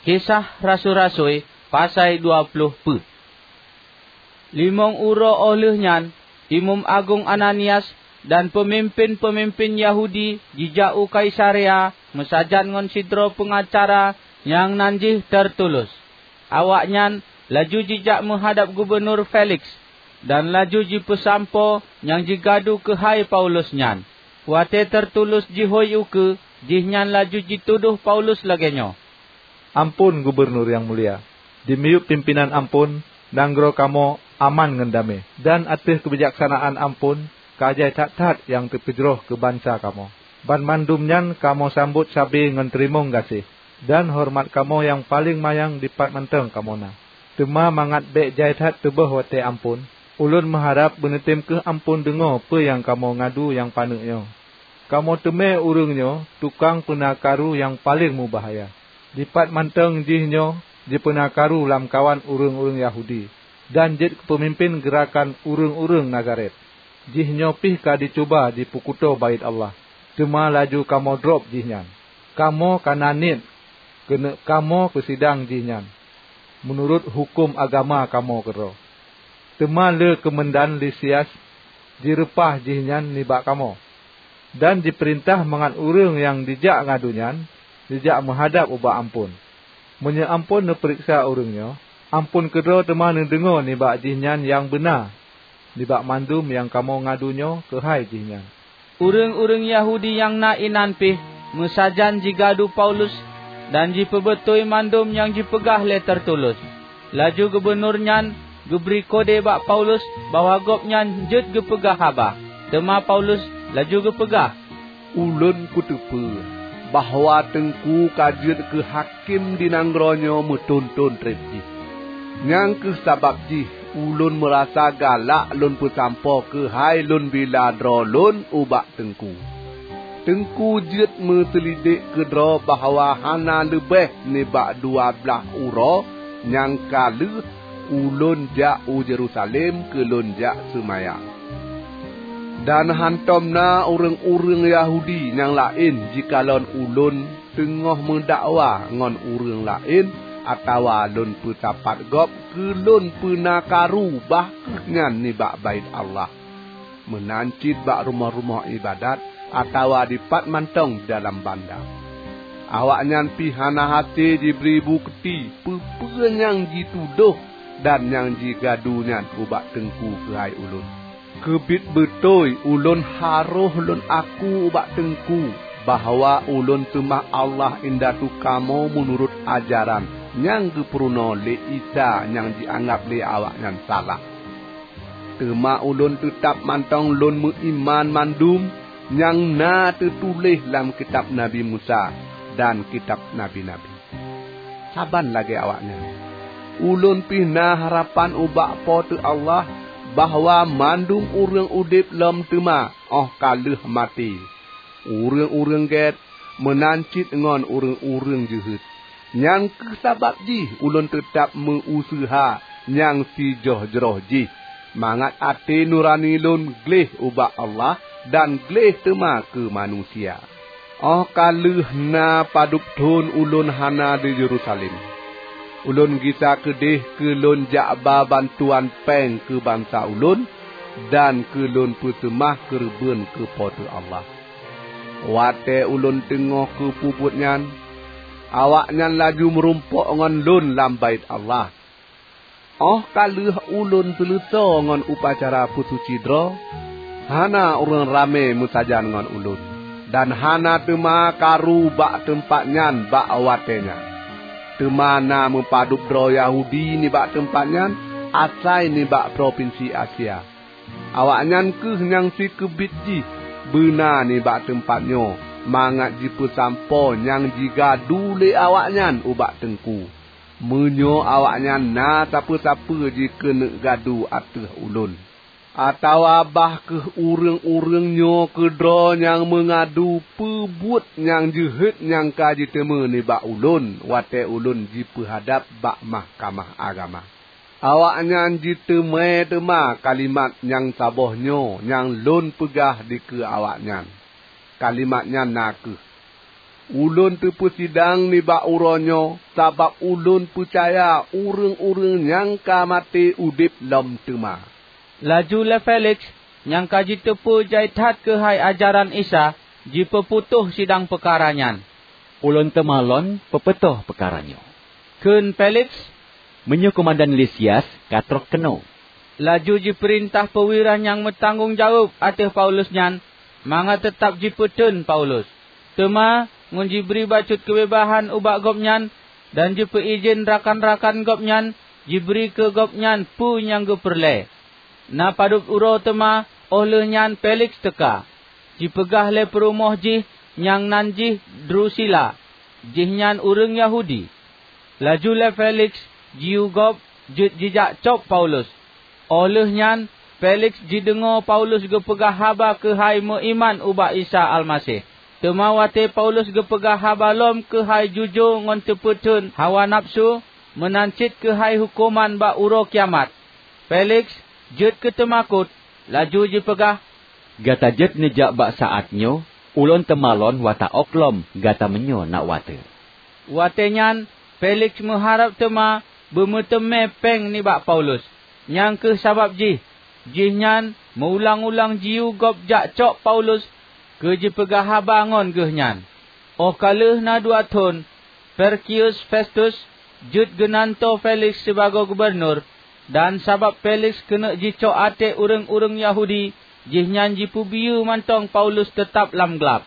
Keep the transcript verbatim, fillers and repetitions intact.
Kisah Rasui-rasui, pasai dua ploh peuet. Limong uroe óh lheueh nyan, Imeum Agong Ananias dan peumimpén-peumimpén Yahudi jijak u Kaisarea meusajan ngon sidroe peungacara nyang nan jih Tertulus. Awaknyan laju jijak meuhadab Gubunur Feliks, dan laju jipeusampoe nyang jigadu keuhai Paulus nyan. Watée Tertulus jihôi ukeue, jihnyan laju jitudôh Paulus lagée nyoe, "Amphon, Gubunur nyang mulia! Dimiyueb pimpénan amphon, nanggroe kamoe aman ngon damé, dan ateueh keubijaksanaan amphon ka jai that-that nyang teupeujroh keu bansa kamoe. Banmandum nyan kamoe sambot sabe ngon teurimong gaséh, dan horeumat kamoe nyang paleng manyang dipat mantong kamoe na. Teuma mangat bék jai that teuböh watée amphon, ulôn meuharab beuneutem kheueh amphon deungoe peue nyang kamoe ngadu nyang paneuk nyoe. Kamoe teumé ureuëng nyoe tukang peuna karu nyang paleng mubahya. Dipat mantong jih nyoe jipeuna karu lamkawan ureuëng-ureuëng Yahudi, dan jeuet keu peumimpén geurakan ureuëng-ureuëng Nazaret. Jihnyoe pih ka jicuba jipeukuto Baét Allah, teuma laju kamoe drob jihnyan. Kamoe ka na niet keuneuk kamoe peusidang jihnyan meunurot huköm agama kamoe keudroe. Teuma lé keumeundan Lisias jireupah jihnyan nibak kamoe, dan jipeurintah mangat ureuëng nyang jijak ngadu nyan jijak meuhadab ubak amphon. Meunyoe amphon neupeuriksa ureuëng nyoe, amphon keudroe teuma neudeungoe nibak jihnyan nyang beuna nibak mandum nyang kamoe ngadu nyoe keuhai jihnyan." Ureuëng-ureuëng Yahudi nyang na inan pih meusajan jigadu Paulus dan jipeubeutôi mandum nyang jipeugah lé Tertulus. Laju gubunur nyan geubri kode bak Paulus bahwa gobnyan jeuet geupeugah haba. Teuma Paulus laju geupeugah, "Ulôn kuteupeue bahwa Teungku ka jeuet keu hakém di nanggroe nyoe meuthon-thon treb jih. Nyang kheueh sabab jih ulôn meurasa galak lôn peusampoe keuhai lôn bila droe lôn ubak Teungku. Teungku jeuet meuseulidek keudroe bahwa hana leubeh nibak dua blaih uroe nyang ka lheueh ulôn jak u Yerusalem keu lôn jak seumayang. Dan hántom na ureuëng-ureuëng Yahudi nyang laén jikalon ulôn teungoh meudakwa ngon ureuëng laén atawa lôn peusapat gob keu lôn peuna karu bah kheueh nyan nibak Baét Allah, meunan cit bak rumoh-rumoh iébadat atawa dipat mantong dalam banda. Awaknyan pih hana hase jibri bukeuti peue-peue nyang jitudôh dan nyang jigadu nyan ubak Teungku keuhai ulôn. Keubiet beutôi ulôn harôh lôn aku ubak Teungku bahwa ulôn seumah Allah indatu kamoe meunurot ajaran nyang geupeurunoe lé Isa nyang jianggab lé awaknyan salah. Teuma ulôn teutab mantong lôn meuiman mandum nyang na teutuléh lam kitab Nabi Musa dan kitab nabi-nabi. Saban lagée awaknyan, ulôn pih na harapan ubak Po teu Allah bahwa mandum ureuëng udeb lom teuma óh ka lheueh maté, ureuëng-ureuëng gét meunan cit ngon ureuëng-ureuëng jeuhet. Nyang kheueh sabab jih ulôn teutab meu-useuha nyang sijoh-jroh jih, mangat até nurani lôn gleh ubak Allah dan gleh teuma keu manusia. Óh ka lheueh na padub thon ulôn hana di Yerusalem, ulôn gisa keudeh keu lôn jak ba bantuan péng keu bansa ulôn dan keu lôn peuseumah keureubeuen keu Po teu Allah. Watée ulôn teungoh keu peubuet nyan, awaknyan laju meurumpok ngon lôn lam Baét Allah. Óh ka lheueh ulôn seuleusoe ngon upacara peusuci droe, hana ureuëng ramé meusajan ngon ulôn, dan hana teuma karu bak teumpat nyan bak watée nyan. Teuma na meupadub droe Yahudi nibak teumpat nyan asai nibak propinsi Asia. Awaknyan kheueh nyang sikeubiet jih beuna nibak teumpat nyoe mangat jipeusampoe nyang jigadu lé awaknyan ubak Teungku, meunyoe awaknyan na sapeue-sapeue jikeuneuk gadu ateueh ulôn. Atawa bah kheueh ureuëng-ureuëng nyoe keudroe nyang meungadu peubuet nyang jeuhet nyang ka jiteumé nibak ulôn watée ulôn jipeuhadab bak mahkamah agama. Awaknyan jiteumé teuma kalimat nyang saboh nyoe nyang lôn peugah dikeue awaknyan. Kalimat nyan na kheueh, "Ulôn teupeusidang nibak uroe nyoe sabab ulôn peucaya ureuëng-ureuëng nyang ka maté udeb lom teuma." Laju lé Feliks, nyang ka jiteupeu jai that keuhai ajaran Isa, jipeuputôh sidang peukara nyan. "Ulôn teuma lôn peuputôh peukara nyoe," kheun Feliks, "meunyoe keumandan Lisias ka troh keunoe." Laju jipeurintah peuwira nyang meutanggong jaweueb ateueh Paulus nyan mangat teutab jipeutheun Paulus. Teuma ngon jibri bacut keubeubahan ubak gobnyan dan jipeuidhin rakan-rakan gobnyan jibri keu gobnyan peue nyang geupeureulée. Na padub uroe teuma óh lheueh nyan Feliks teuka, jipeugah lé peurumoh jih nyang nan jih Drusila, jihnyan ureuëng Yahudi. Laju lé Feliks jiyue gob jeuet jijak cop Paulus. Óh lheueh nyan Feliks jideungoe Paulus geupeugah haba keuhai meuiman ubak Isa Almaseh. Teuma watée Paulus geupeugah haba lom keuhai jujoe ngon teupeutheun hawa nafeusu, meunan cit keuhai huköman bak uroe kiamat, Feliks jeuet keu teumakot, laju jipeugah, "Gata jeuet neujak bak saát nyoe, ulôn teuma lôn wata ôk lom gata meunyoe na watée." Watée nyan Feliks meuharab teuma beumeuteumé péng nibak Paulus. Nyang kheueh sabab jih, jihnyan meuulang-ulang jiyue gob jak cok Paulus keu jipeugah haba ngon geuhnyan. Óh ka lheueh na dua thon, Porkius Festus jeuet geunantoe Feliks sibagoe gubunur, dan sabab Feliks keuneuk jicok até ureuëng-ureuëng Yahudi, jihnyan jipeubiyeu mantong Paulus teutab lam glab.